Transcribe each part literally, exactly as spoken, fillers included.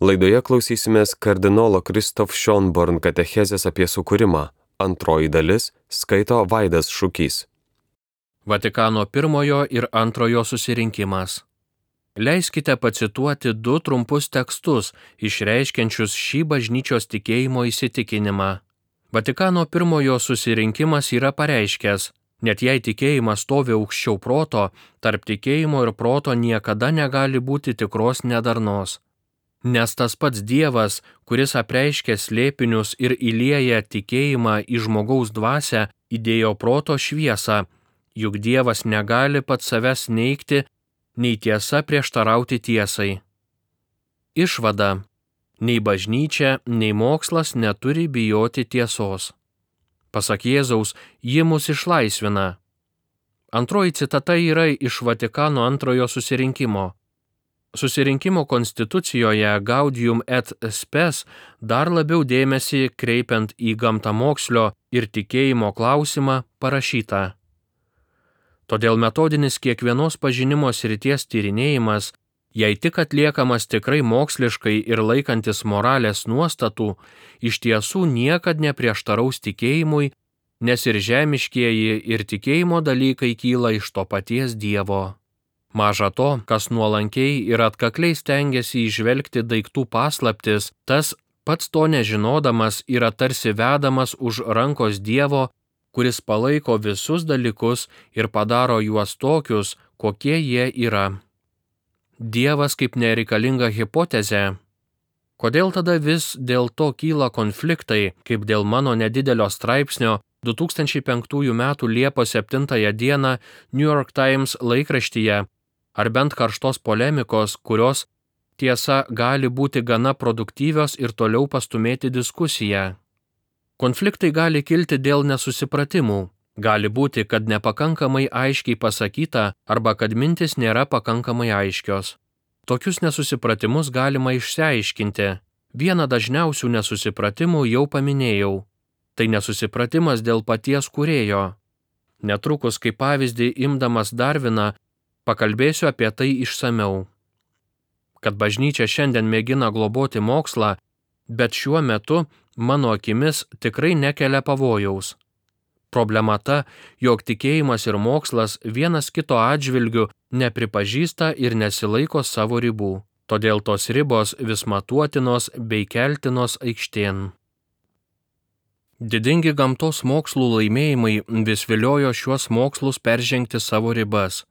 Laidoje klausysimės kardinolo Kristof Schonborn katechezės apie sukūrimą. Antroji dalis skaito Vaidas Šukys. Vatikano pirmojo ir antrojo susirinkimas. Leiskite pacituoti du trumpus tekstus, išreiškiančius šį bažnyčios tikėjimo įsitikinimą. Vatikano pirmojo susirinkimas yra pareiškęs, net jei tikėjimas stovi aukščiau proto, tarp tikėjimo ir proto niekada negali būti tikros nedarnos. Nes tas pats Dievas, kuris apreiškia slėpinius ir įlieja tikėjimą į žmogaus dvasią, įdėjo proto šviesą, juk Dievas negali pats savęs neigti, nei tiesa prieštarauti tiesai. Išvada: nei bažnyčia, nei mokslas neturi bijoti tiesos. Pasak Jėzaus, ji mus išlaisvina. Antroji citata yra iš Vatikano antrojo susirinkimo. Susirinkimo konstitucijoje Gaudium et Spes dar labiau dėmesį kreipiant į gamtamokslio ir tikėjimo klausimą parašyta. Todėl metodinis kiekvienos pažinimo srities tyrinėjimas, jei tik atliekamas tikrai moksliškai ir laikantis moralės nuostatų, iš tiesų niekad neprieštaraus tikėjimui, nes ir žemiškieji ir tikėjimo dalykai kyla iš to paties Dievo. Maža to, kas nuolankiai ir atkakliai stengiasi įžvelgti daiktų paslaptis, tas pats to nežinodamas yra tarsi vedamas už rankos Dievo, kuris palaiko visus dalykus ir padaro juos tokius, kokie jie yra. Dievas kaip nereikalinga hipotezė. Kodėl tada vis dėl to kyla konfliktai, kaip dėl mano nedidelio straipsnio du tūkstančiai penktųjų metų Liepos septintąją dieną New York Times laikraštyje, ar bent karštos polemikos, kurios, tiesa, gali būti gana produktyvios ir toliau pastumėti diskusiją. Konfliktai gali kilti dėl nesusipratimų. Gali būti, kad nepakankamai aiškiai pasakyta arba kad mintis nėra pakankamai aiškios. Tokius nesusipratimus galima išsiaiškinti. Vieną dažniausių nesusipratimų jau paminėjau. Tai nesusipratimas dėl paties kūrėjo. Netrukus, kaip pavyzdį imdamas Darviną, pakalbėsiu apie tai išsamiau. Kad bažnyčia šiandien mėgina globoti mokslą, bet šiuo metu, mano akimis, tikrai nekelia pavojaus. Problema ta, jog tikėjimas ir mokslas vienas kito atžvilgiu nepripažįsta ir nesilaiko savo ribų. Todėl tos ribos vis matuotinos bei keltinos aikštėn. Didingi gamtos mokslų laimėjimai vis viliojo šiuos mokslus peržengti savo ribas.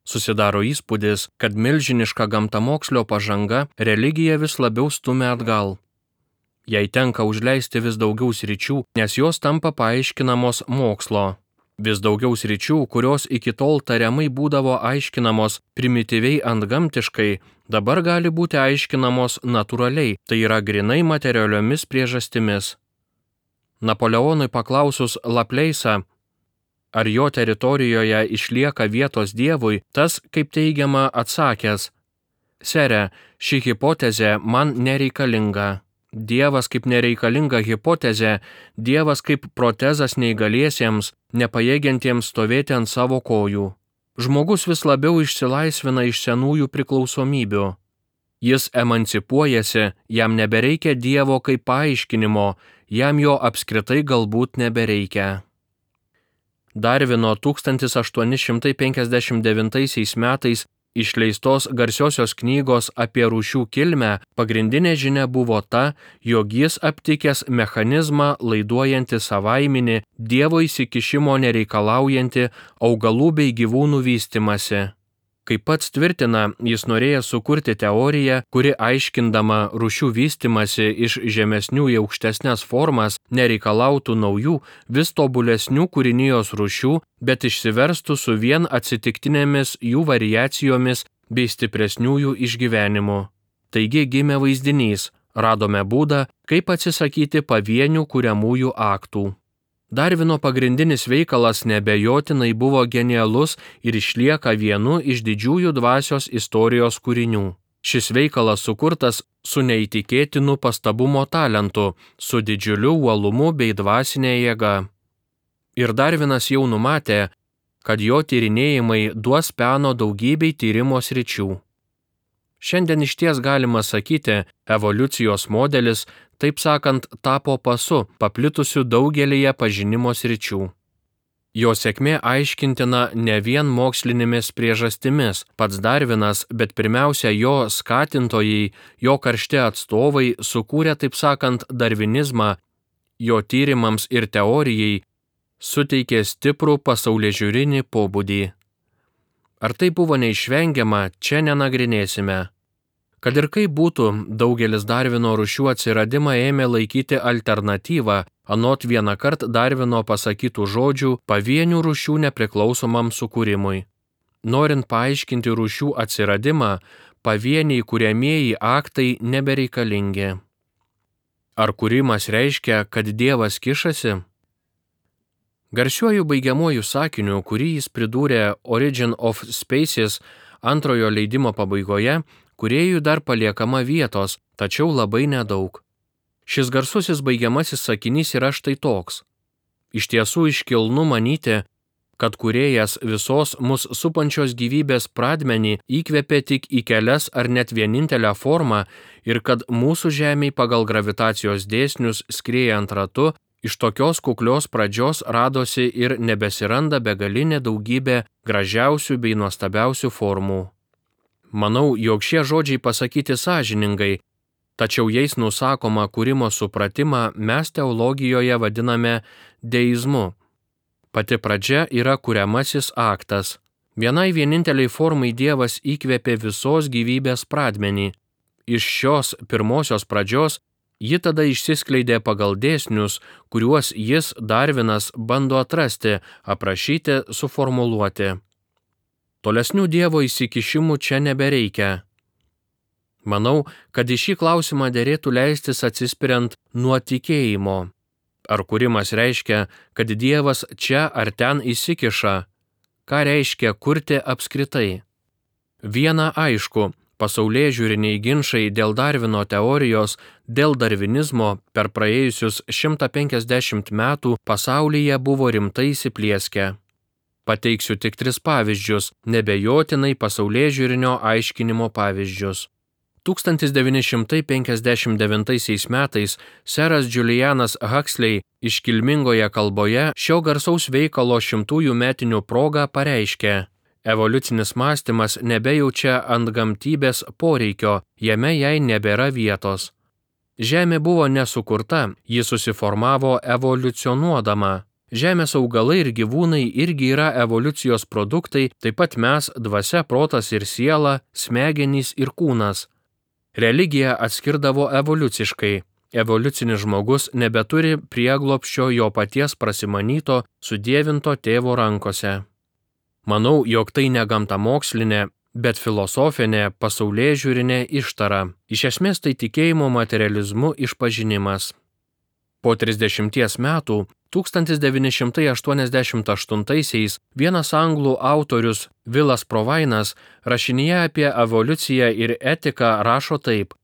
Susidaro įspūdis, kad milžiniška gamtamokslio pažanga religiją vis labiau stumia atgal. Jai tenka užleisti vis daugiau sričių, nes jos tampa paaiškinamos mokslo. Vis daugiau sričių, kurios iki tol tariamai būdavo aiškinamos primityviai antgamtiškai, dabar gali būti aiškinamos natūraliai, tai yra grynai materialiomis priežastimis. Napoleonui paklausus Laplace'ą, ar jo teritorijoje išlieka vietos Dievui, tas, kaip teigiama, atsakęs: Sere, ši hipotezė man nereikalinga. Dievas kaip nereikalinga hipotezė, Dievas kaip protezas neįgaliesiems, nepajėgiantiems stovėti ant savo kojų. Žmogus vis labiau išsilaisvina iš senųjų priklausomybių. Jis emancipuojasi, jam nebereikia Dievo kaip paaiškinimo, jam jo apskritai galbūt nebereikia. Darvino tūkstantis aštuoni šimtai penkiasdešimt devintaisiais metais išleistos garsiosios knygos apie rūšių kilmę pagrindinė žinia buvo ta, jog jis aptikęs mechanizmą laiduojantį savaiminį, Dievo įsikišimo nereikalaujantį augalų bei gyvūnų vystymąsi. Kaip pats tvirtina, jis norėjo sukurti teoriją, kuri aiškindama rūšių vystymąsi iš žemesnių į aukštesnes formas nereikalautų naujų, vis tobulesnių kūrinijos rūšių, bet išsiverstų su vien atsitiktinėmis jų variacijomis bei stipresniųjų išgyvenimu. Taigi gimė vaizdinys, radome būdą, kaip atsisakyti pavienių kuriamųjų aktų. Darvino pagrindinis veikalas neabejotinai buvo genialus ir išlieka vienu iš didžiųjų dvasios istorijos kūrinių. Šis veikalas sukurtas su neįtikėtinu pastabumo talentu, su didžiuliu uolumu bei dvasinė jėga. Ir Darvinas jau numatė, kad jo tyrinėjimai duos peno daugybei tyrimo sričių. Šiandien išties galima sakyti, evoliucijos modelis, taip sakant, tapo pasu, paplitusiu daugelyje pažinimo sričių. Jo sėkmė aiškintina ne vien mokslinėmis priežastimis, pats Darvinas, bet pirmiausia jo skatintojai, jo karšti atstovai sukūrė, taip sakant, darvinizmą, jo tyrimams ir teorijai suteikė stiprų pasaulėžiūrinį pobūdį. Ar tai buvo neišvengiama, čia nenagrinėsime. Kad ir kaip būtų, daugelis Darvino rūšių atsiradimą ėmė laikyti alternatyvą, anot vienąkart Darvino pasakytų žodžių, pavienių rūšių nepriklausomam sukūrimui. Norint paaiškinti rūšių atsiradimą, pavieniai kuriamieji aktai nebereikalingi. Ar kūrimas reiškia, kad Dievas kišasi? Garsiuoju baigiamuoju sakiniu, kurį jis pridūrė Origin of Species antrojo leidimo pabaigoje, kūrėjui dar paliekama vietos, tačiau labai nedaug. Šis garsusis baigiamasis sakinys yra štai toks. Iš tiesų iškilnu manyti, kad kūrėjas visos mus supančios gyvybės pradmenį įkvėpė tik į kelias ar net vienintelę formą ir kad mūsų Žemei pagal gravitacijos dėsnius skriejant ratu, iš tokios kuklios pradžios radosi ir nebesiranda begalinė daugybė gražiausių bei nuostabiausių formų. Manau, jog šie žodžiai pasakyti sąžiningai, tačiau jais nusakoma kūrimo supratimą mes teologijoje vadiname deizmu. Pati pradžia yra kuriamasis aktas. Vienai vieninteliai formai Dievas įkvėpė visos gyvybės pradmenį. Iš šios pirmosios pradžios ji tada išsiskleidė pagal dėsnius, kuriuos jis, Darvinas, bando atrasti, aprašyti, suformuluoti. Tolesnių Dievo įsikišimų čia nebereikia. Manau, kad į šį klausimą derėtų leistis atsispiriant nuo tikėjimo. Ar kūrimas reiškia, kad Dievas čia ar ten įsikiša? Ką reiškia kurti apskritai? Viena aišku, pasaulėžiūriniai ginčai dėl Darvino teorijos, dėl darvinizmo per praėjusius šimtą penkiasdešimt metų pasaulyje buvo rimtai įsiplieskę. Pateiksiu tik tris pavyzdžius, nebejotinai pasaulėžiūrinio aiškinimo pavyzdžius. tūkstantis devyni šimtai penkiasdešimt devintaisiais metais seras Julianas Huxley iškilmingoje kalboje šio garsaus veikalo šimtųjų metinių proga pareiškė: evoliucinis mąstymas nebejaučia antgamtybės poreikio, jame jai nebėra vietos. Žemė buvo nesukurta, ji susiformavo evoliucionuodama. Žemės augalai ir gyvūnai irgi yra evoliucijos produktai, taip pat mes, dvasia, protas ir siela, smegenys ir kūnas. Religija atskirdavo evoliuciškai. Evoliucinis žmogus nebeturi prieglobsčio jo paties prasimanyto, sudievinto tėvo rankose. Manau, jog tai ne gamtamokslinė, bet filosofinė, pasaulėžiūrinė ištara. Iš esmės tai tikėjimo materializmu išpažinimas. Po trisdešimties metų, tūkstantis devyni šimtai aštuoniasdešimt aštuntaisiais, vienas anglų autorius Vilas Provainas rašinyje apie evoliuciją ir etiką rašo taip: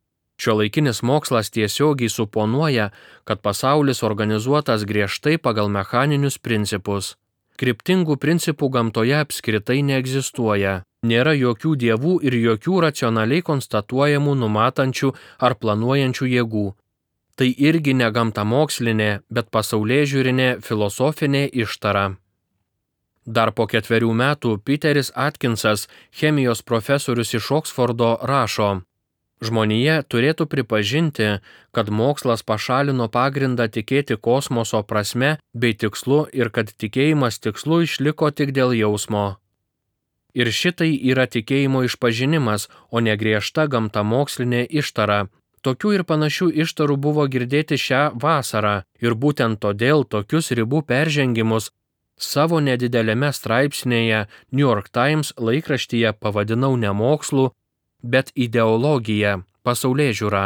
šiuolaikinis mokslas tiesiogiai suponuoja, kad pasaulis organizuotas griežtai pagal mechaninius principus. Kryptingų principų gamtoje apskritai neegzistuoja. Nėra jokių dievų ir jokių racionaliai konstatuojamų numatančių ar planuojančių jėgų. Tai irgi ne gamtamokslinė, bet pasaulėžiūrinė filosofinė ištara. Dar po ketverių metų Peteris Atkinsas, chemijos profesorius iš Oksfordo, rašo: žmonija turėtų pripažinti, kad mokslas pašalino pagrindą tikėti kosmoso prasme bei tikslu ir kad tikėjimas tikslu išliko tik dėl jausmo. Ir šitai yra tikėjimo išpažinimas, o ne griežta gamtamokslinė ištara. Tokių ir panašių ištarų buvo girdėti šią vasarą ir būtent todėl tokius ribų peržengimus savo nedidelėme straipsnėje New York Times laikraštyje pavadinau ne mokslu, bet ideologija, pasaulėžiūra.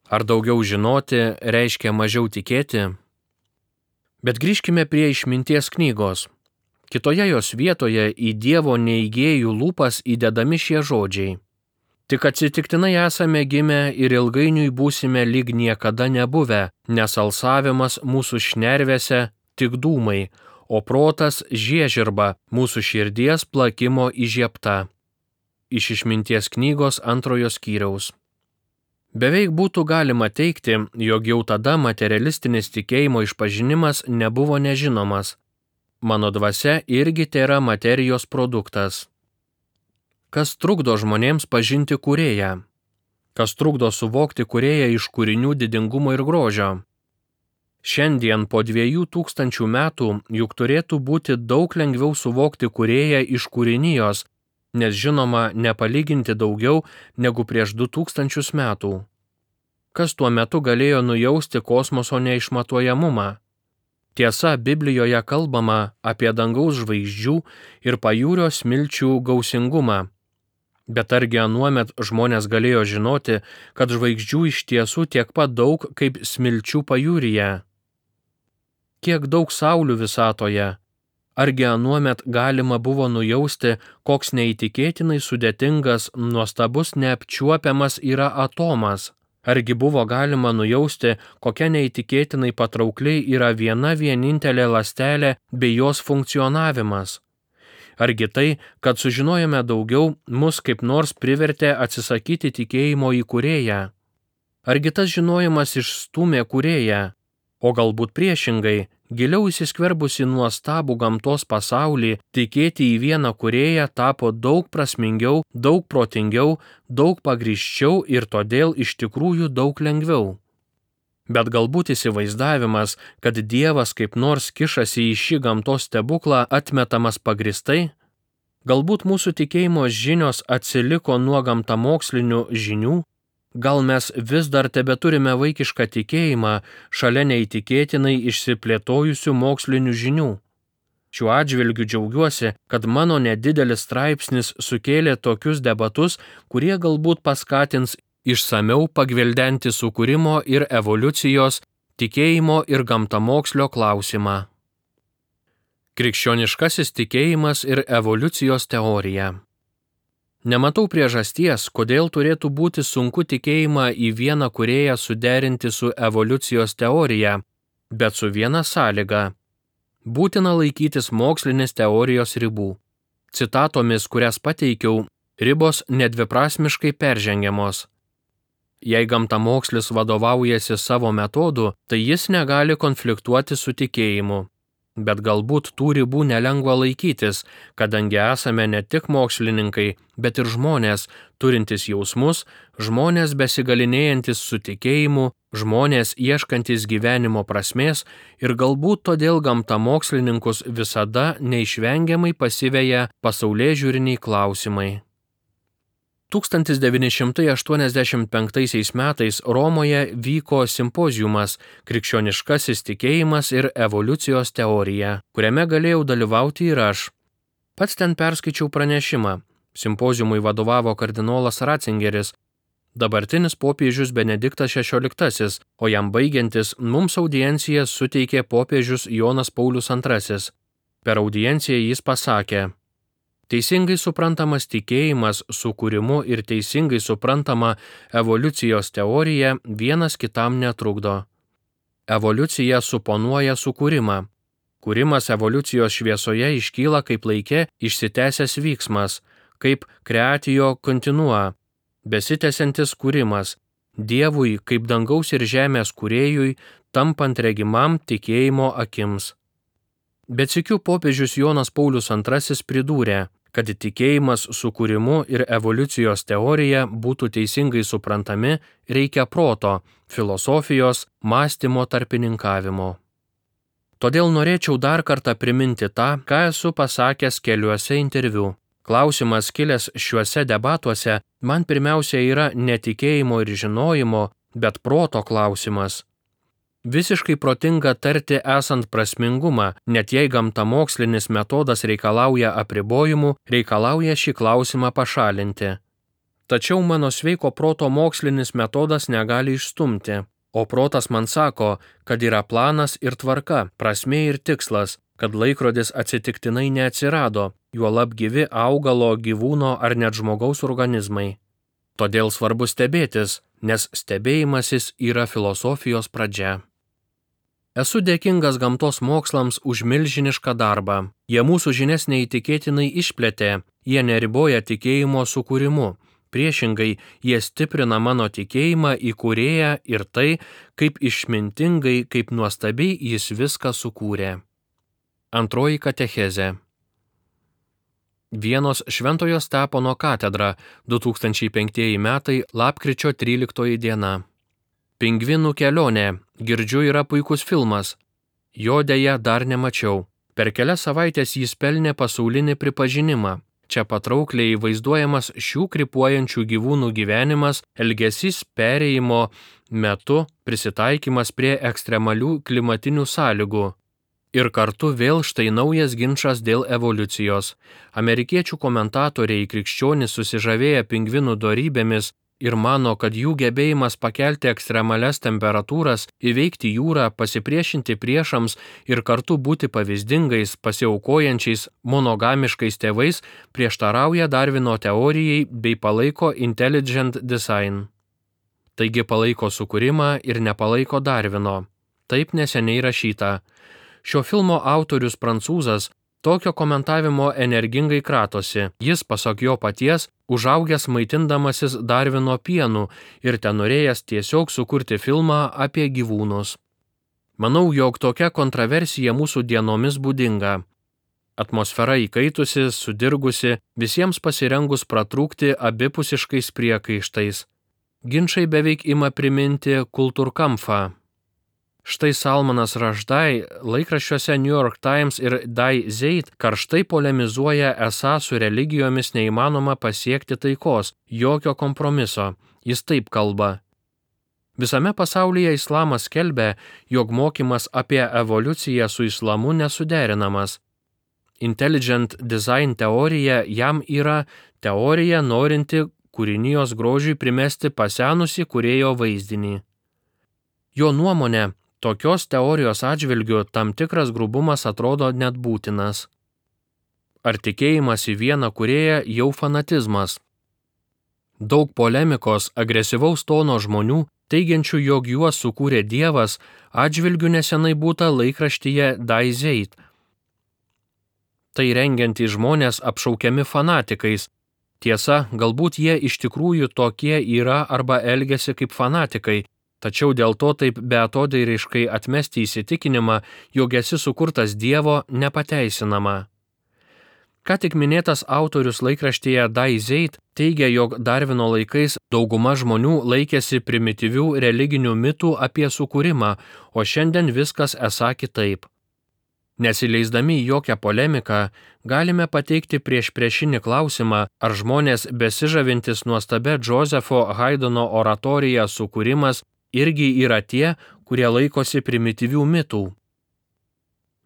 Ar daugiau žinoti reiškia mažiau tikėti? Bet grįžkime prie išminties knygos. Kitoje jos vietoje į Dievo neigėjų lūpas įdedami šie žodžiai: tik atsitiktinai esame gimę ir ilgainiui būsime lyg niekada nebuvę, nes alsavimas mūsų šnervėse tik dūmai, o protas žiežirba mūsų širdies plakimo įžiebta. iš Išminties knygos antrojo skyriaus. Beveik būtų galima teigti, jog jau tada materialistinis tikėjimo išpažinimas nebuvo nežinomas. Mano dvasia irgi tėra materijos produktas. Kas trukdo žmonėms pažinti Kūrėją? Kas trukdo suvokti Kūrėją iš kūrinių didingumo ir grožio? Šiandien po dviejų tūkstančių metų juk turėtų būti daug lengviau suvokti Kūrėją iš kūrinijos, nes žinoma nepalyginti daugiau negu prieš du tūkstančius metų. Kas tuo metu galėjo nujausti kosmoso neišmatuojamumą? Tiesa, Biblijoje kalbama apie dangaus žvaigždžių ir pajūrio smilčių gausingumą. Bet argi anuomet žmonės galėjo žinoti, kad žvaigždžių iš tiesų tiek pat daug kaip smilčių pajūryje? Kiek daug saulių visatoje? Argi anuomet galima buvo nujausti, koks neįtikėtinai sudėtingas, nuostabus, neapčiuopiamas yra atomas? Argi buvo galima nujausti, kokia neįtikėtinai patraukliai yra viena vienintelė ląstelė bei jos funkcionavimas? Argi tai, kad sužinojome daugiau, mus kaip nors privertė atsisakyti tikėjimo į Kūrėją? Argi tas žinojimas išstūmė Kūrėją? O galbūt priešingai, giliau įsiskverbusi nuostabų gamtos pasaulį, tikėti į vieną Kūrėją tapo daug prasmingiau, daug protingiau, daug pagrįsčiau ir todėl iš tikrųjų daug lengviau. Bet galbūt įsivaizdavimas, kad Dievas kaip nors kišasi į šį gamtos stebuklą, atmetamas pagristai? Galbūt mūsų tikėjimo žinios atsiliko nuo gamtamokslinių žinių? Gal mes vis dar tebeturime vaikišką tikėjimą šalia neįtikėtinai išsiplėtojusių mokslinių žinių? Šiuo atžvilgiu džiaugiuosi, kad mano nedidelis straipsnis sukėlė tokius debatus, kurie galbūt paskatins išsamiau pagvildenti sukūrimo ir evoliucijos, tikėjimo ir gamtamokslio klausimą. Krikščioniškasis tikėjimas ir evoliucijos teorija. Nematau priežasties, kodėl turėtų būti sunku tikėjimą į vieną Kūrėją suderinti su evoliucijos teorija, bet su viena sąlyga. Būtina laikytis mokslinės teorijos ribų. Citatomis, kurias pateikiau, ribos nedviprasmiškai peržengiamos. Jei gamtamokslis vadovaujasi savo metodu, tai jis negali konfliktuoti su tikėjimu. Bet galbūt tų ribų nelengva laikytis, kadangi esame ne tik mokslininkai, bet ir žmonės, turintys jausmus, žmonės besigalinėjantis su tikėjimu, žmonės ieškantis gyvenimo prasmės ir galbūt todėl gamtamokslininkus visada neišvengiamai pasiveja pasaulėžiūriniai klausimai. tūkstantis devyni šimtai aštuoniasdešimt penktaisiais metais Romoje vyko simpoziumas Krikščioniškasis tikėjimas ir evoliucijos teorija, kuriame galėjau dalyvauti ir aš. Pats ten perskaičiau pranešimą. Simpoziumui vadovavo kardinolas Ratzingeris, dabartinis popiežius Benediktas šešioliktasis, o jam baigiantis mums audienciją suteikė popiežius Jonas Paulius antrasis. Per audienciją jis pasakė: teisingai suprantamas tikėjimas sukūrimu ir teisingai suprantama evoliucijos teorija vienas kitam netrukdo. Evoliucija suponuoja sukūrimą. Kūrimas evoliucijos šviesoje iškyla kaip laike išsitęsęs vyksmas, kaip creatio continua, besitęsiantis kūrimas, Dievui kaip dangaus ir žemės kūrėjui, tampant regimam tikėjimo akims. Bet sykiu popiežius Jonas Paulius antrasis pridūrė, kad tikėjimas sukūrimu ir evoliucijos teorija būtų teisingai suprantami, reikia proto, filosofijos, mąstymo tarpininkavimo. Todėl norėčiau dar kartą priminti tą, ką esu pasakęs keliuose interviu. Klausimas kilęs šiuose debatuose man pirmiausia yra ne tikėjimo ir žinojimo, bet proto klausimas. Visiškai protinga tarti esant prasmingumą, net jei gamtamokslinis metodas reikalauja apribojimų, reikalauja šį klausimą pašalinti. Tačiau mano sveiko proto mokslinis metodas negali išstumti, o protas man sako, kad yra planas ir tvarka, prasmė ir tikslas, kad laikrodis atsitiktinai neatsirado, juolab gyvi augalo, gyvūno ar net žmogaus organizmai. Todėl svarbu stebėtis, nes stebėjimasis yra filosofijos pradžia. Esu dėkingas gamtos mokslams už milžinišką darbą. Jie mūsų žinias neįtikėtinai išplėtė, Jie neriboja tikėjimo sukūrimu. Priešingai, jie stiprina mano tikėjimą į Kūrėją ir tai, kaip išmintingai, kaip nuostabiai jis viską sukūrė. Antroji katechezė. Vienos Šventojo Stepono katedra, du tūkstančiai penktieji metai, lapkričio tryliktoji diena. Pingvinų kelionė. Girdžiu, yra puikus filmas. Jo deja dar nemačiau. Per kelias savaitės jis pelnė pasaulinį pripažinimą. Čia patraukliai vaizduojamas šių krypuojančių gyvūnų gyvenimas, elgesys perėjimo metu, prisitaikymas prie ekstremalių klimatinių sąlygų. Ir kartu vėl štai naujas ginčas dėl evoliucijos. Amerikiečių komentatoriai krikščionys susižavėję pingvinų dorybėmis ir mano, kad jų gebėjimas pakelti ekstremalias temperatūras, įveikti jūrą, pasipriešinti priešams ir kartu būti pavyzdingais, pasiaukojančiais, monogamiškais tėvais prieštarauja Darvino teorijai bei palaiko intelligent design. Taigi palaiko sukūrimą ir nepalaiko Darvino. Taip neseniai rašyta. Šio filmo autorius prancūzas tokio komentavimo energingai kratosi. Jis, pasak jo paties, užaugęs maitindamasis Darvino pienu ir tenorėjęs tiesiog sukurti filmą apie gyvūnus. Manau, jog tokia kontroversija mūsų dienomis būdinga. Atmosfera įkaitusi, sudirgusi, visiems pasirengus pratrūkti abipusiškais priekaištais. Ginčai beveik ima priminti kultūrkampfą. Štai Salmanas Rushdie laikraščiuose New York Times ir Die Zeit karštai polemizuoja, esą su religijomis neįmanoma pasiekti taikos, jokio kompromiso. Jis taip kalba. Visame pasaulyje islamas skelbia, jog mokymas apie evoliuciją su islamu nesuderinamas. Intelligent design teorija jam yra teorija norinti kūrinijos grožiui primesti pasenusį kūrėjo vaizdinį. Jo nuomonė, tokios teorijos atžvilgiu tam tikras grubumas atrodo net būtinas. Ar tikėjimas į vieną kūrėją jau fanatizmas? Daug polemikos, agresyvaus tono žmonių, teigiančių, jog juos sukūrė Dievas, atžvilgiu nesenai būta laikraštyje Die Zeit. Tai rengiantys žmonės apšaukiami fanatikais. Tiesa, galbūt jie iš tikrųjų tokie yra arba elgiasi kaip fanatikai, tačiau dėl to taip beatodairiškai atmesti įsitikinimą, jog esi sukurtas Dievo, nepateisinama. Ką tik minėtas autorius laikraštyje Die Zeit teigia, jog Darvino laikais dauguma žmonių laikėsi primityvių religinių mitų apie sukūrimą, o šiandien viskas esą kitaip. Nesileisdami į jokią polemiką, galime pateikti prieš priešinį klausimą, ar žmonės besižavintis nuostabia Josepho Haydno oratorija sukūrimas irgi yra tie, kurie laikosi primityvių mitų.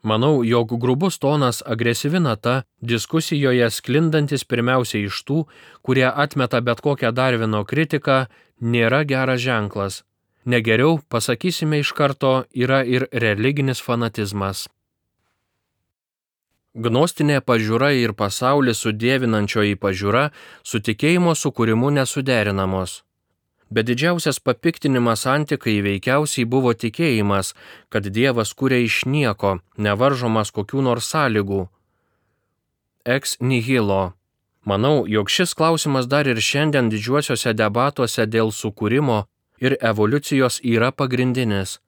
Manau, jog grubus tonas, agresyvi nata, diskusijoje sklindantis pirmiausiai iš tų, kurie atmeta bet kokią Darvino kritiką, nėra geras ženklas. Negeriau, pasakysime iš karto, yra ir religinis fanatizmas. Gnostinė pažiūra ir pasaulį sudievinančioji pažiūra su tikėjimo sukūrimu nesuderinamos. Bet didžiausias papiktinimas antikai veikiausiai buvo tikėjimas, kad Dievas kuria iš nieko, nevaržomas kokių nors sąlygų. Ex nihilo. Manau, jog šis klausimas dar ir šiandien didžiuosiuose debatuose dėl sukūrimo ir evoliucijos yra pagrindinis.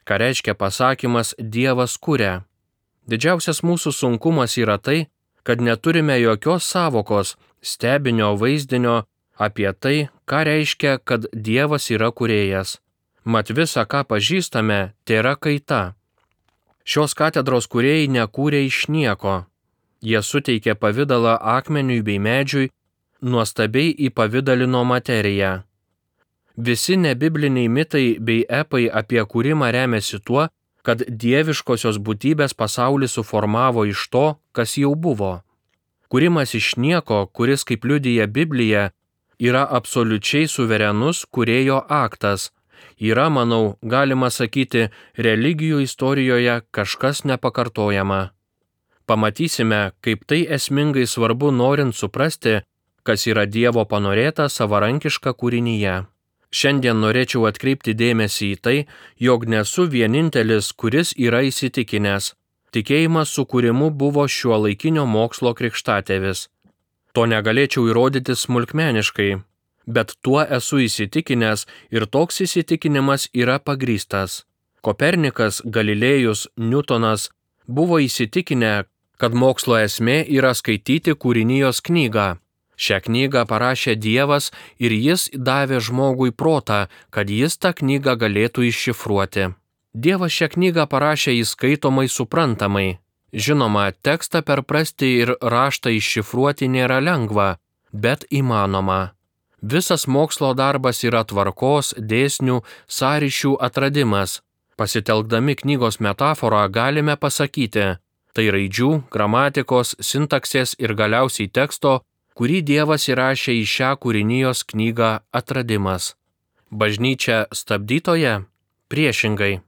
Ką reiškia pasakymas Dievas kuria? Didžiausias mūsų sunkumas yra tai, kad neturime jokios savokos, stebinio vaizdinio apie tai, ką reiškia, kad Dievas yra kūrėjas. Mat visa, ką pažįstame, tėra kaita. Šios katedros kūrėjai nekūrė iš nieko. Jie suteikė pavidalą akmeniui bei medžiui, nuostabiai įpavidalino materiją. Visi nebibliniai mitai bei epai apie kūrimą remiasi tuo, kad dieviškosios būtybės pasaulį suformavo iš to, kas jau buvo. Kūrimas iš nieko, kuris, kaip liudija Biblija, yra absoliučiai suverenus kūrėjo aktas. Yra, manau, galima sakyti, religijų istorijoje kažkas nepakartojama. Pamatysime, kaip tai esmingai svarbu norint suprasti, kas yra Dievo panorėta savarankiška kūrinyje. Šiandien norėčiau atkreipti dėmesį į tai, jog nesu vienintelis, kuris yra įsitikinęs. Tikėjimas sukūrimu buvo šiuolaikinio mokslo krikštatėvis. To negalėčiau įrodyti smulkmeniškai, bet tuo esu įsitikinęs ir toks įsitikinimas yra pagrįstas. Kopernikas, Galilėjus, Niutonas buvo įsitikinę, kad mokslo esmė yra skaityti kūrinijos knygą. Šią knygą parašė Dievas ir jis davė žmogui protą, kad jis tą knygą galėtų iššifruoti. Dievas šią knygą parašė įskaitomai suprantamai. Žinoma, tekstą perprasti ir raštą iššifruoti nėra lengva, bet įmanoma. Visas mokslo darbas yra tvarkos, dėsnių, sąryšių atradimas. Pasitelkdami knygos metaforą galime pasakyti, tai raidžių, gramatikos, sintaksės ir galiausiai teksto, kurį Dievas įrašė į šią kūrinijos knygą atradimas. Bažnyčia stabdytoja? Priešingai.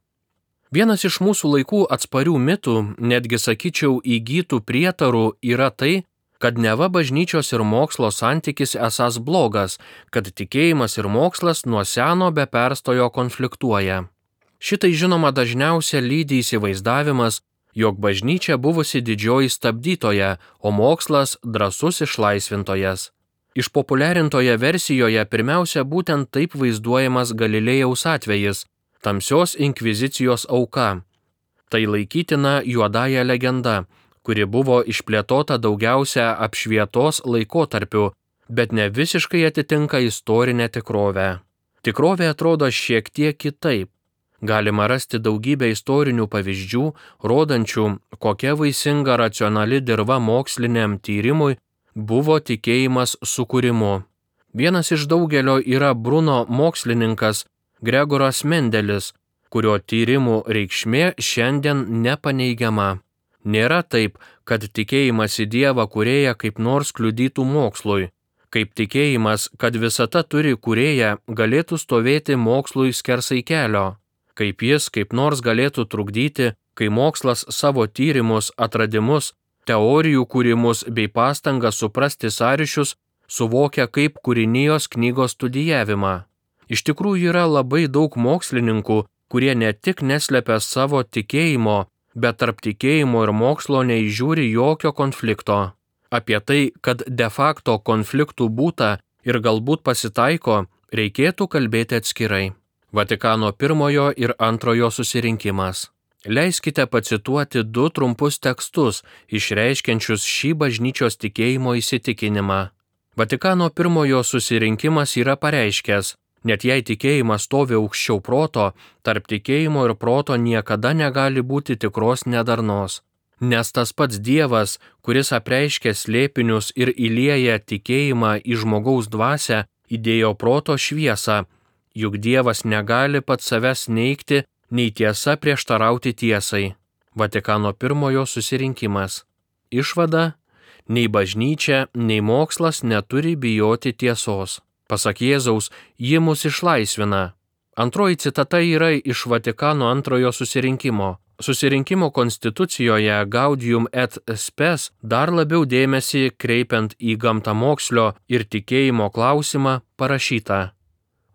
Vienas iš mūsų laikų atsparių mitų, netgi sakyčiau įgytų prietarų, yra tai, kad neva bažnyčios ir mokslo santykis esąs blogas, kad tikėjimas ir mokslas nuo seno be perstojo konfliktuoja. Šitai žinoma dažniausia lydi įsivaizdavimas, jog bažnyčia buvusi didžioji stabdytoja, o mokslas drąsus išlaisvintojas. Išpopuliarintoje versijoje pirmiausia būtent taip vaizduojamas Galilėjaus atvejis, tamsios inkvizicijos auka. Tai laikytina juodąja legenda, kuri buvo išplėtota daugiausia apšvietos laikotarpiu, bet ne visiškai atitinka istorinę tikrovę. Tikrovė atrodo šiek tiek kitaip. Galima rasti daugybę istorinių pavyzdžių, rodančių, kokia vaisinga racionali dirva moksliniam tyrimui buvo tikėjimas sukūrimu. Vienas iš daugelio yra Bruno mokslininkas Gregoras Mendelis, kurio tyrimų reikšmė šiandien nepaneigiama. Nėra taip, kad tikėjimas į Dievą kūrėją kaip nors kliudytų mokslui. Kaip tikėjimas, kad visata turi kūrėją, galėtų stovėti mokslui skersai kelio. Kaip jis kaip nors galėtų trukdyti, kai mokslas savo tyrimus, atradimus, teorijų kūrimus bei pastangą suprasti sąryšius suvokia kaip kūrinijos knygos studijavimą. Iš tikrųjų yra labai daug mokslininkų, kurie ne tik neslepia savo tikėjimo, bet tarp tikėjimo ir mokslo neįžiūri jokio konflikto. Apie tai, kad de facto konfliktų būta ir galbūt pasitaiko, reikėtų kalbėti atskirai. Vatikano pirmojo ir antrojo susirinkimas. Leiskite pacituoti du trumpus tekstus, išreiškiančius šį bažnyčios tikėjimo įsitikinimą. Vatikano pirmojo susirinkimas yra pareiškęs, net jei tikėjimas stovi aukščiau proto, tarp tikėjimo ir proto niekada negali būti tikros nedarnos. Nes tas pats Dievas, kuris apreiškė slėpinius ir įlieja tikėjimą į žmogaus dvasią, įdėjo proto šviesą, juk Dievas negali pats savęs neigti, nei tiesa prieštarauti tiesai. Vatikano pirmojo susirinkimas. Išvada: nei bažnyčia, nei mokslas neturi bijoti tiesos. Pasak Jėzaus, ji mus išlaisvina. Antroji citata yra iš Vatikano antrojo susirinkimo. Susirinkimo konstitucijoje Gaudium et Spes dar labiau dėmesį kreipiant į gamtamokslio ir tikėjimo klausimą parašyta.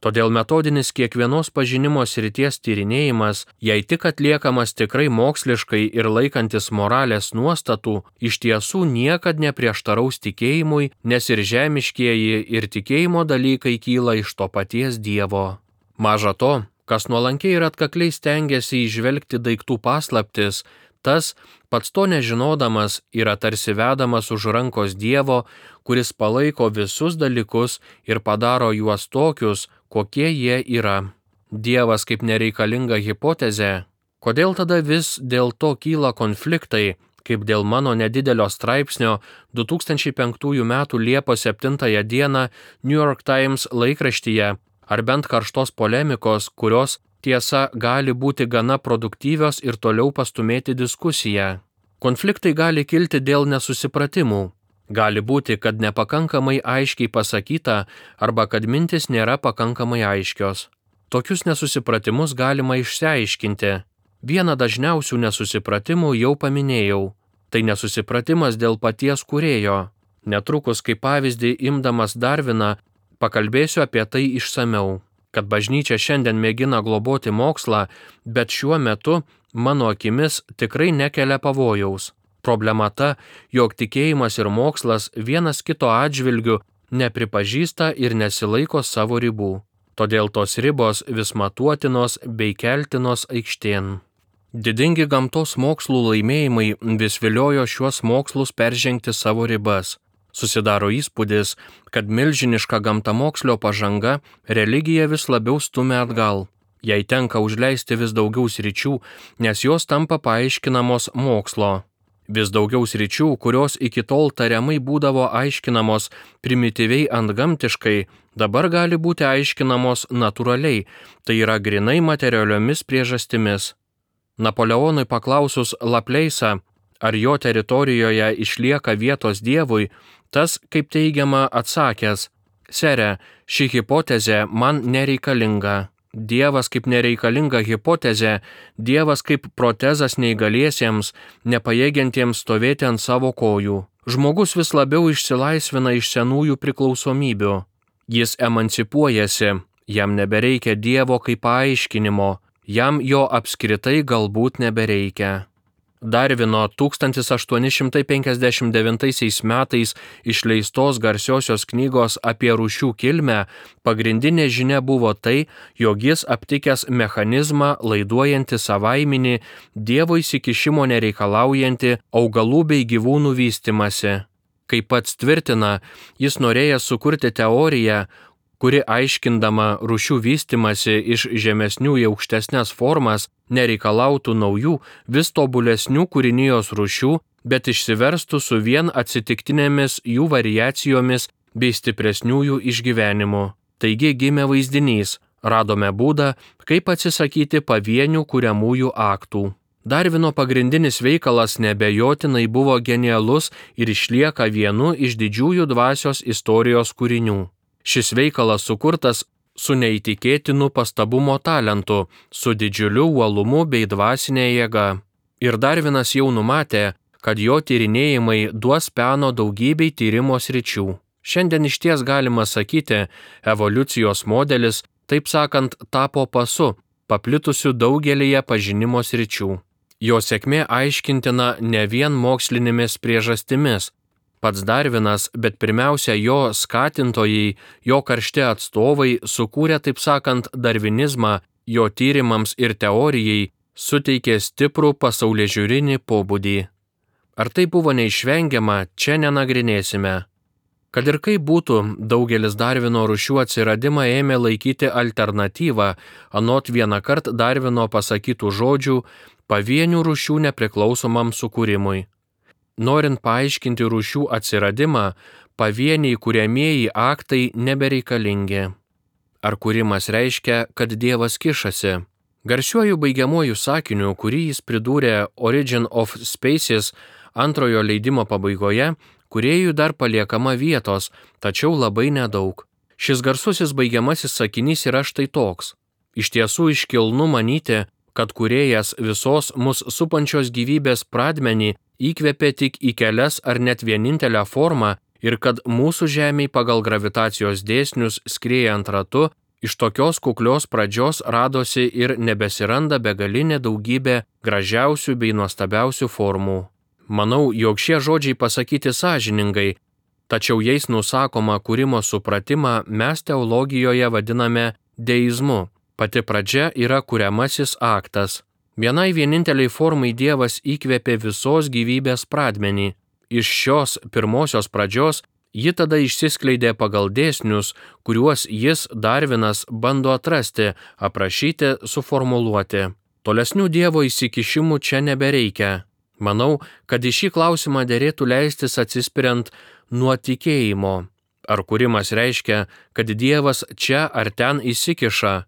Todėl metodinis kiekvienos pažinimo srities tyrinėjimas, jei tik atliekamas tikrai moksliškai ir laikantis moralės nuostatų, iš tiesų niekad neprieštaraus tikėjimui, nes ir žemiškieji ir tikėjimo dalykai kyla iš to paties Dievo. Maža to, kas nuolankiai ir atkakliai stengiasi įžvelgti daiktų paslaptis, tas, pats to nežinodamas, yra tarsi vedamas už rankos Dievo, kuris palaiko visus dalykus ir padaro juos tokius, kokie jie yra. Dievas kaip nereikalinga hipotezė. Kodėl tada vis dėl to kyla konfliktai, kaip dėl mano nedidelio straipsnio du tūkstančiai penktųjų metų Liepos septintąją dieną New York Times laikraštyje, ar bent karštos polemikos, kurios, tiesa, gali būti gana produktyvios ir toliau pastumėti diskusiją. Konfliktai gali kilti dėl nesusipratimų. Gali būti, kad nepakankamai aiškiai pasakyta arba kad mintis nėra pakankamai aiškios. Tokius nesusipratimus galima išsiaiškinti. Vieną dažniausių nesusipratimų jau paminėjau. Tai nesusipratimas dėl paties kūrėjo. Netrukus, kaip pavyzdį imdamas Darviną, pakalbėsiu apie tai išsamiau. Kad bažnyčia šiandien mėgina globoti mokslą, bet šiuo metu, mano akimis, tikrai nekelia pavojaus. Problema ta, jog tikėjimas ir mokslas vienas kito atžvilgiu nepripažįsta ir nesilaiko savo ribų. Todėl tos ribos vis matuotinos bei keltinos aikštėn. Didingi gamtos mokslų laimėjimai vis viliojo šiuos mokslus peržengti savo ribas. Susidaro įspūdis, kad milžiniška gamtamokslio pažanga religiją vis labiau stumia atgal. Jai tenka užleisti vis daugiau sričių, nes jos tampa paaiškinamos mokslo. Vis daugiau sričių, kurios iki tol tariamai būdavo aiškinamos primityviai antgamtiškai, dabar gali būti aiškinamos natūraliai, tai yra grinai materialiomis priežastimis. Napoleonui paklausus Lapleisą, ar jo teritorijoje išlieka vietos Dievui, tas, kaip teigiama, atsakęs: Sere, ši hipotezė man nereikalinga. Dievas kaip nereikalinga hipotezė, Dievas kaip protezas neįgaliesiems, nepajėgiantiems stovėti ant savo kojų. Žmogus vis labiau išsilaisvina iš senųjų priklausomybių. Jis emancipuojasi, jam nebereikia Dievo kaip paaiškinimo, jam jo apskritai galbūt nebereikia. Darvino tūkstantis aštuoni šimtai penkiasdešimt devintaisiais metais išleistos garsiosios knygos apie rūšių kilmę pagrindinė žinia buvo tai, jog jis aptikęs mechanizmą laiduojantį savaiminį, Dievo įsikišimo nereikalaujantį augalų bei gyvūnų vystimąsi. Kaip pats tvirtina, jis norėjęs sukurti teoriją, kuri aiškindama rūšių vystimąsi iš žemesnių į aukštesnes formas nereikalautų naujų, vis tobulesnių kūrinijos rūšių, bet išsiverstų su vien atsitiktinėmis jų variacijomis bei stipresniųjų išgyvenimu. Taigi gimė vaizdinys, radome būdą, kaip atsisakyti pavienių kuriamųjų aktų. Darvino pagrindinis veikalas neabejotinai buvo genialus ir išlieka vienu iš didžiųjų dvasios istorijos kūrinių. Šis veikalas sukurtas su neįtikėtinu pastabumo talentu, su didžiuliu uolumu bei dvasinė jėga. Ir Darvinas jau numatė, kad jo tyrinėjimai duos peno daugybei tyrimo sričių. Šiandien išties galima sakyti, evoliucijos modelis, taip sakant, tapo pasu, paplitusiu daugelyje pažinimo sričių. Jo sėkmė aiškintina ne vien mokslinėmis priežastimis. Pats Darvinas, bet pirmiausia jo skatintojai, jo karšti atstovai sukūrė, taip sakant, darvinizmą, jo tyrimams ir teorijai suteikė stiprų pasaulėžiūrinį pobūdį. Ar tai buvo neišvengiama, čia nenagrinėsime. Kad ir kaip būtų, daugelis Darvino rūšių atsiradimą ėmė laikyti alternatyvą, anot vienąkart Darvino pasakytų žodžių, pavienių rūšių nepriklausomam sukūrimui. Norint paaiškinti rūšių atsiradimą, pavieniai kuriamieji aktai nebereikalingi. Ar kūrimas reiškia, kad Dievas kišasi? Garsiuoju baigiamuoju sakiniu, kurį jis pridūrė Origin of Species antrojo leidimo pabaigoje, kūrėjui dar paliekama vietos, tačiau labai nedaug. Šis garsusis baigiamasis sakinys yra štai toks. Iš tiesų iškilnu manyti, kad kūrėjas visos mus supančios gyvybės pradmenį įkvėpė tik į kelias ar net vienintelę formą ir kad mūsų Žemėj pagal gravitacijos dėsnius skriejant ratu, iš tokios kuklios pradžios radosi ir nebesiranda begalinė daugybė gražiausių bei nuostabiausių formų. Manau, jog šie žodžiai pasakyti sąžiningai, tačiau jais nusakoma kūrimo supratimą mes teologijoje vadiname deizmu. Pati pradžia yra kuriamasis aktas. Vienai vieninteliai formai Dievas įkvėpė visos gyvybės pradmenį. Iš šios pirmosios pradžios ji tada išsiskleidė pagal dėsnius, kuriuos jis, Darvinas, bando atrasti, aprašyti, suformuluoti. Tolesnių Dievo įsikišimų čia nebereikia. Manau, kad į šį klausimą derėtų leistis atsispiriant nuo tikėjimo. Ar kūrimas reiškia, kad Dievas čia ar ten įsikiša?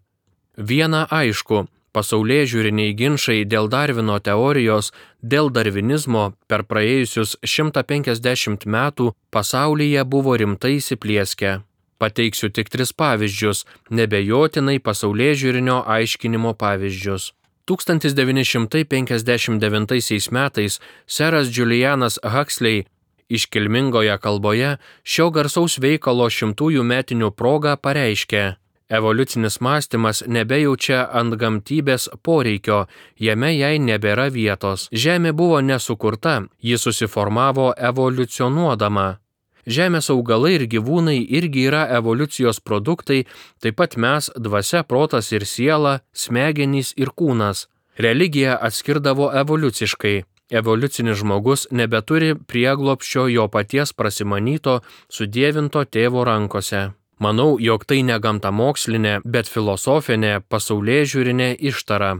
Viena aišku, pasaulėžiūriniai ginčai dėl Darvino teorijos, dėl darvinizmo per praėjusius šimtą penkiasdešimt metų pasaulyje buvo rimtai įsiplieskę. Pateiksiu tik tris pavyzdžius, nebejotinai pasaulėžiūrinio aiškinimo pavyzdžius. tūkstantis devyni šimtai penkiasdešimt devintaisiais metais seras Julianas Huxley iškilmingoje kalboje šio garsaus veikalo šimtųjų metinių proga pareiškė: Evoliucinis mąstymas nebejaučia antgamtybės poreikio, jame jai nebėra vietos. Žemė buvo nesukurta, ji susiformavo evoliucionuodama. Žemės augalai ir gyvūnai irgi yra evoliucijos produktai, taip pat mes, dvasia, protas ir siela, smegenys ir kūnas. Religija atskirdavo evoliuciškai. Evoliucinis žmogus nebeturi prieglobsčio jo paties prasimanyto, sudievinto tėvo rankose. Manau, jog tai ne gamtamokslinė, bet filosofinė, pasaulėžiūrinė ištara.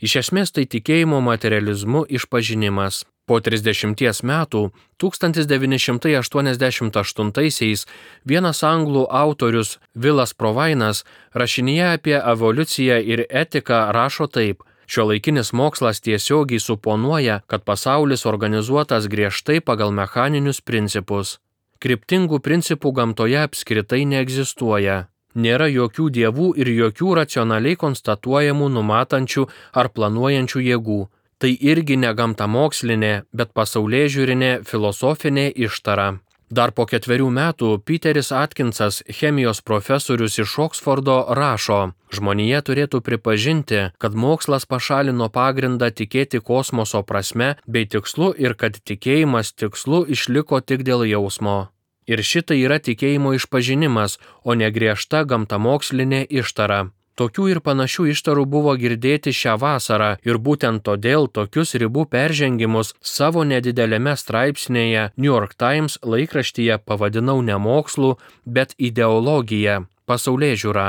Iš esmės tai tikėjimo materializmu išpažinimas. Po trisdešimties metų, tūkstantis devyni šimtai aštuoniasdešimt aštuntaisiais, vienas anglų autorius Vilas Provainas rašinyje apie evoliuciją ir etiką rašo taip: šiuolaikinis mokslas tiesiogiai suponuoja, kad pasaulis organizuotas griežtai pagal mechaninius principus. Kryptingų principų gamtoje apskritai neegzistuoja. Nėra jokių dievų ir jokių racionaliai konstatuojamų numatančių ar planuojančių jėgų. Tai irgi ne gamtamokslinė, bet pasaulėžiūrinė filosofinė ištara. Dar po ketverių metų Peteris Atkinsas, chemijos profesorius iš Oksfordo, rašo: žmonija turėtų pripažinti, kad mokslas pašalino pagrindą tikėti kosmoso prasme bei tikslu ir kad tikėjimas tikslu išliko tik dėl jausmo. Ir šitai yra tikėjimo išpažinimas, o ne griežta gamtamokslinė ištara. Tokių ir panašių ištarų buvo girdėti šią vasarą ir būtent todėl tokius ribų peržengimus savo nedidelėme straipsnėje New York Times laikraštyje pavadinau ne mokslu, bet ideologija, pasaulėžiūra.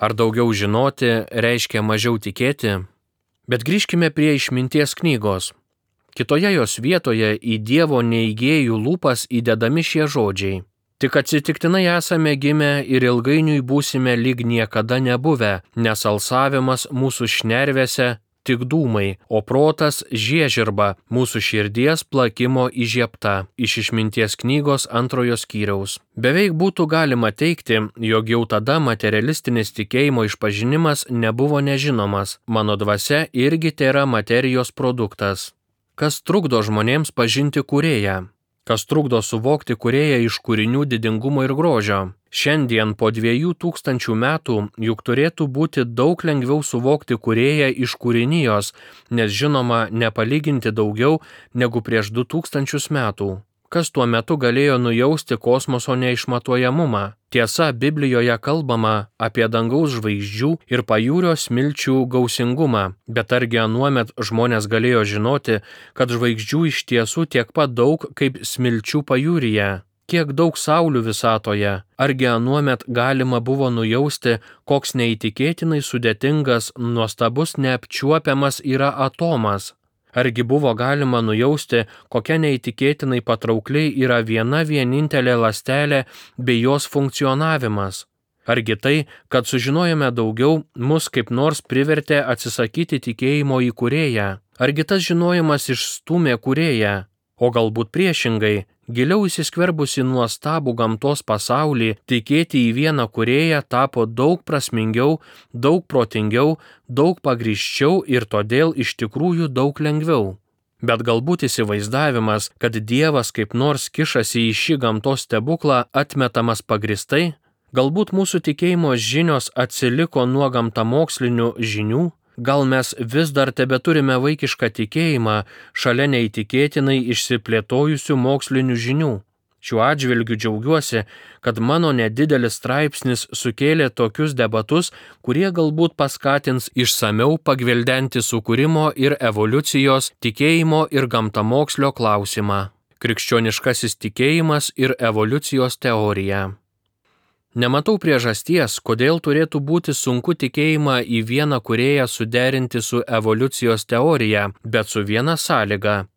Ar daugiau žinoti reiškia mažiau tikėti? Bet grįžkime prie išminties knygos. Kitoje jos vietoje į Dievo neigėjų lūpas įdedami šie žodžiai: tik atsitiktinai esame gimę ir ilgainiui būsime lyg niekada nebuvę, nes alsavimas mūsų šnervėse tik dūmai, o protas žiežirba mūsų širdies plakimo įžiebta. Iš išminties knygos antrojo skyriaus. Beveik būtų galima teigti, jog jau tada materialistinis tikėjimo išpažinimas nebuvo nežinomas. Mano dvasia irgi tėra materijos produktas. Kas trukdo žmonėms pažinti Kūrėją? Kas trukdo suvokti Kūrėją iš kūrinių didingumo ir grožio? Šiandien po dviejų tūkstančių metų juk turėtų būti daug lengviau suvokti Kūrėją iš kūrinijos, nes žinoma nepalyginti daugiau negu prieš du tūkstančius metų. Kas tuo metu galėjo nujausti kosmoso neišmatuojamumą? Tiesa, Biblijoje kalbama apie dangaus žvaigždžių ir pajūrio smilčių gausingumą, bet argi anuomet žmonės galėjo žinoti, kad žvaigždžių iš tiesų tiek pat daug kaip smilčių pajūryje? Kiek daug saulių visatoje? Argi anuomet galima buvo nujausti, koks neįtikėtinai sudėtingas, nuostabus, neapčiuopiamas yra atomas? Argi buvo galima nujausti, kokia neįtikėtinai patraukliai yra viena vienintelė ląstelė bei jos funkcionavimas? Argi tai, kad sužinojome daugiau, mus kaip nors privertė atsisakyti tikėjimo į Kūrėją? Argi tas žinojimas išstūmė Kūrėją? O galbūt priešingai, giliau įsiskverbusi nuostabų gamtos pasaulį, tikėti į vieną Kūrėją tapo daug prasmingiau, daug protingiau, daug pagrįsčiau ir todėl iš tikrųjų daug lengviau. Bet galbūt įsivaizdavimas, kad Dievas kaip nors kišasi į šį gamtos stebuklą, atmetamas pagristai? Galbūt mūsų tikėjimo žinios atsiliko nuo gamtamokslinių žinių? Gal mes vis dar tebeturime vaikišką tikėjimą šalia neįtikėtinai išsiplėtojusių mokslinių žinių? Šiuo atžvilgiu džiaugiuosi, kad mano nedidelis straipsnis sukėlė tokius debatus, kurie galbūt paskatins išsamiau pagvildenti sukūrimo ir evoliucijos, tikėjimo ir gamtamokslio klausimą. Krikščioniškasis tikėjimas ir evoliucijos teorija. Nematau priežasties, kodėl turėtų būti sunku tikėjimą į vieną Kūrėją suderinti su evoliucijos teorija, bet su viena sąlyga.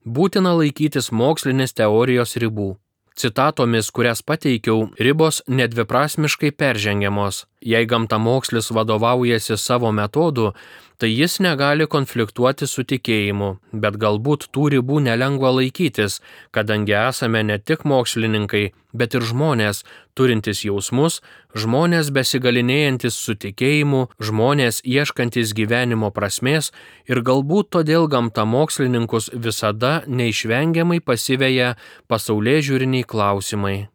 Būtina laikytis mokslinės teorijos ribų. Citatomis, kurias pateikiau, ribos nedviprasmiškai peržengiamos. Jei gamtamokslis vadovaujasi savo metodu, tai jis negali konfliktuoti su tikėjimu, bet galbūt tų ribų nelengva laikytis, kadangi esame ne tik mokslininkai, bet ir žmonės, turintys jausmus, žmonės besigalinėjantis su tikėjimu, žmonės ieškantis gyvenimo prasmės ir galbūt todėl gamtamokslininkus visada neišvengiamai pasiveja pasaulėžiūriniai klausimai.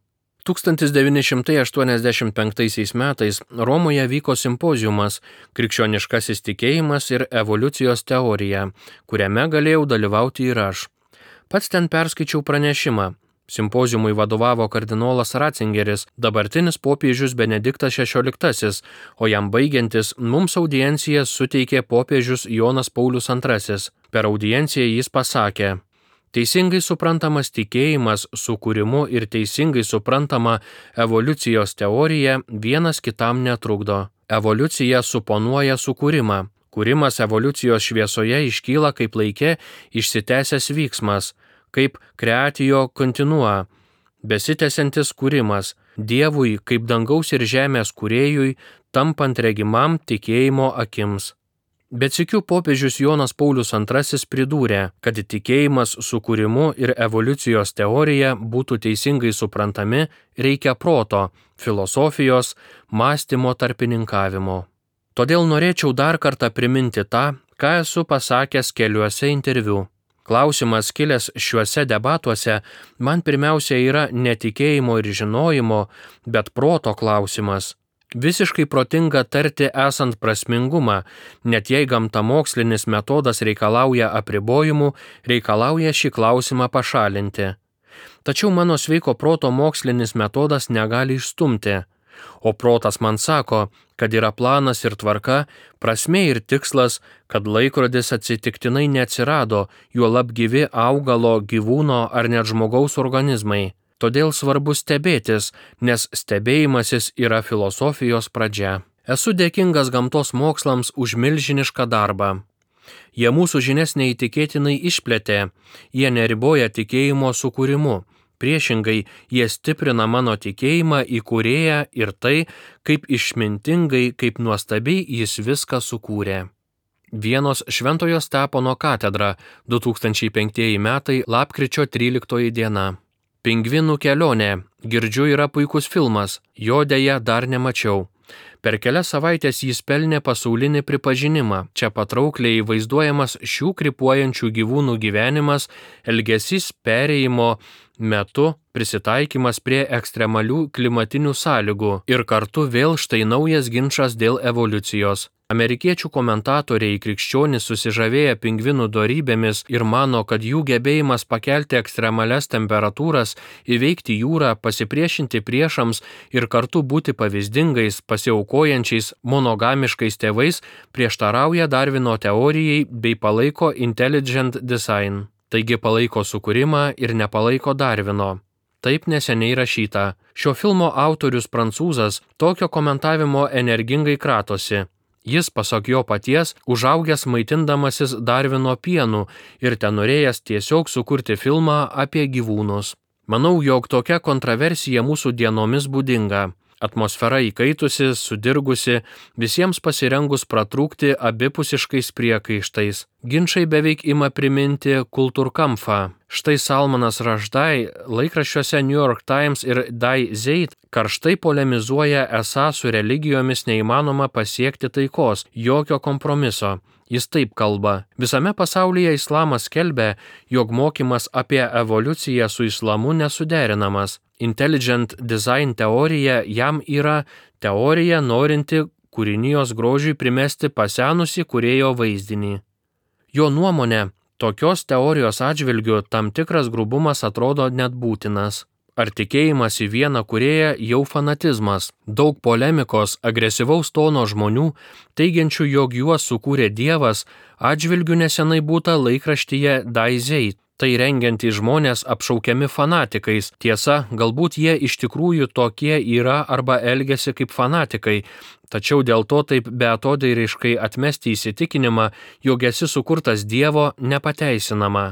tūkstantis devyni šimtai aštuoniasdešimt penktaisiais metais Romoje vyko simpoziumas Krikščioniškasis tikėjimas ir evoliucijos teorija, kuriame galėjau dalyvauti ir aš. Pats ten perskaičiau pranešimą. Simpoziumui vadovavo kardinolas Ratzingeris, dabartinis popiežius Benediktas šešioliktasis, o jam baigiantis mums audienciją suteikė popiežius Jonas Paulius antrasis. Per audienciją jis pasakė: teisingai suprantamas tikėjimas sukūrimu ir teisingai suprantama evoliucijos teorija vienas kitam netrukdo. Evoliucija suponuoja sukūrimą. Kūrimas evoliucijos šviesoje iškyla kaip laike išsitęsęs vyksmas, kaip creatio continua, besitęsiantis kūrimas, Dievui kaip dangaus ir žemės kūrėjui, tampant regimam tikėjimo akims. Bet sykiu popiežius Jonas Paulius antrasis pridūrė, kad tikėjimas sukūrimu ir evoliucijos teorija būtų teisingai suprantami, reikia proto, filosofijos, mąstymo tarpininkavimo. Todėl norėčiau dar kartą priminti tą, ką esu pasakęs keliuose interviu. Klausimas kilęs šiuose debatuose man pirmiausia yra ne tikėjimo ir žinojimo, bet proto klausimas. Visiškai protinga tarti esant prasmingumą, net jei gamtamokslinis metodas reikalauja apribojimų, reikalauja šį klausimą pašalinti. Tačiau mano sveiko proto mokslinis metodas negali išstumti. O protas man sako, kad yra planas ir tvarka, prasmė ir tikslas, kad laikrodis atsitiktinai neatsirado, juolab gyvi augalo, gyvūno ar net žmogaus organizmai. Todėl svarbu stebėtis, nes stebėjimasis yra filosofijos pradžia. Esu dėkingas gamtos mokslams už milžinišką darbą. Jie mūsų žinias neįtikėtinai išplėtė, jie neriboja tikėjimo sukūrimu. Priešingai, jie stiprina mano tikėjimą į kūrėją ir tai, kaip išmintingai, kaip nuostabiai jis viską sukūrė. Vienos Šventojo Stepono katedra, du tūkstančiai penktieji metai, lapkričio tryliktoji diena. Pingvinų kelionė, girdžiu, yra puikus filmas, jo deja dar nemačiau. Per kelias savaitės jis pelnė pasaulinį pripažinimą. Čia patraukliai vaizduojamas šių krypuojančių gyvūnų gyvenimas, elgesys perėjimo metu, prisitaikymas prie ekstremalių klimatinių sąlygų ir kartu vėl štai naujas ginčas dėl evoliucijos. Amerikiečių komentatoriai krikščionys susižavėję pingvinų dorybėmis ir mano, kad jų gebėjimas pakelti ekstremalias temperatūras, įveikti jūrą, pasipriešinti priešams ir kartu būti pavyzdingais, pasiaukojančiais, monogamiškais tėvais prieštarauja Darvino teorijai bei palaiko intelligent design. Taigi palaiko sukūrimą ir nepalaiko Darvino. Taip neseniai rašyta. Šio filmo autorius prancūzas tokio komentavimo energingai kratosi. Jis, pasak jo paties, užaugęs maitindamasis Darvino pienu ir tenorėjęs tiesiog sukurti filmą apie gyvūnus. Manau, jog tokia kontroversija mūsų dienomis būdinga. Atmosfera įkaitusi, sudirgusi, visiems pasirengus pratrūkti abipusiškais priekaištais. Ginčai beveik ima priminti kultūrkampfą. Štai Salmanas Rushdie laikraščiuose New York Times ir Die Zeit karštai polemizuoja, esą su religijomis neįmanoma pasiekti taikos, jokio kompromiso. Jis taip kalba. Visame pasaulyje islamas skelbia, jog mokymas apie evoliuciją su islamu nesuderinamas. Intelligent design teorija jam yra teorija norinti kūrinijos grožiui primesti pasenusį kūrėjo vaizdinį. Jo nuomonė, tokios teorijos atžvilgiu tam tikras grubumas atrodo net būtinas. Ar tikėjimas į vieną kūrėją jau fanatizmas? Daug polemikos, agresyvaus tono žmonių, teigiančių, jog juos sukūrė Dievas, atžvilgiu nesenai būta laikraštyje Die Zeit. Tai rengiantys žmonės apšaukiami fanatikais. Tiesa, galbūt jie iš tikrųjų tokie yra arba elgiasi kaip fanatikai, tačiau dėl to taip beatodairiškai atmesti įsitikinimą, jog esi sukurtas Dievo, nepateisinama.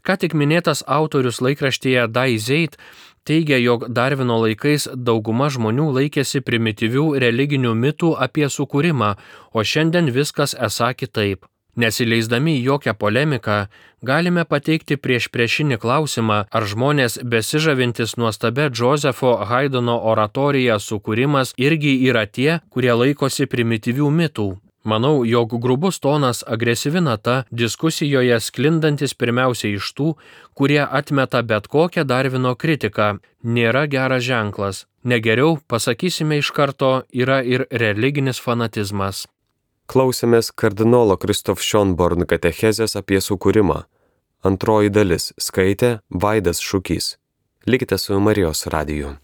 Ką tik minėtas autorius laikraštyje Die Zeit teigia, jog Darvino laikais dauguma žmonių laikėsi primityvių religinių mitų apie sukūrimą, o šiandien viskas esą kitaip. Nesileisdami į jokią polemiką, galime pateikti priešpriešinį klausimą, ar žmonės besižavintis nuostabia Josepho Haydno oratorija sukūrimas irgi yra tie, kurie laikosi primityvių mitų. Manau, jog grubus tonas, agresyvi nata diskusijoje sklindantis pirmiausia iš tų, kurie atmeta bet kokią Darvino kritiką, nėra geras ženklas. Negeriau, pasakysime iš karto, yra ir religinis fanatizmas. Klausėmės kardinolo Kristof Schonborn katechezės apie sukūrimą. Antroji dalis skaitė Vaidas Šukys. Likite su Marijos radiju.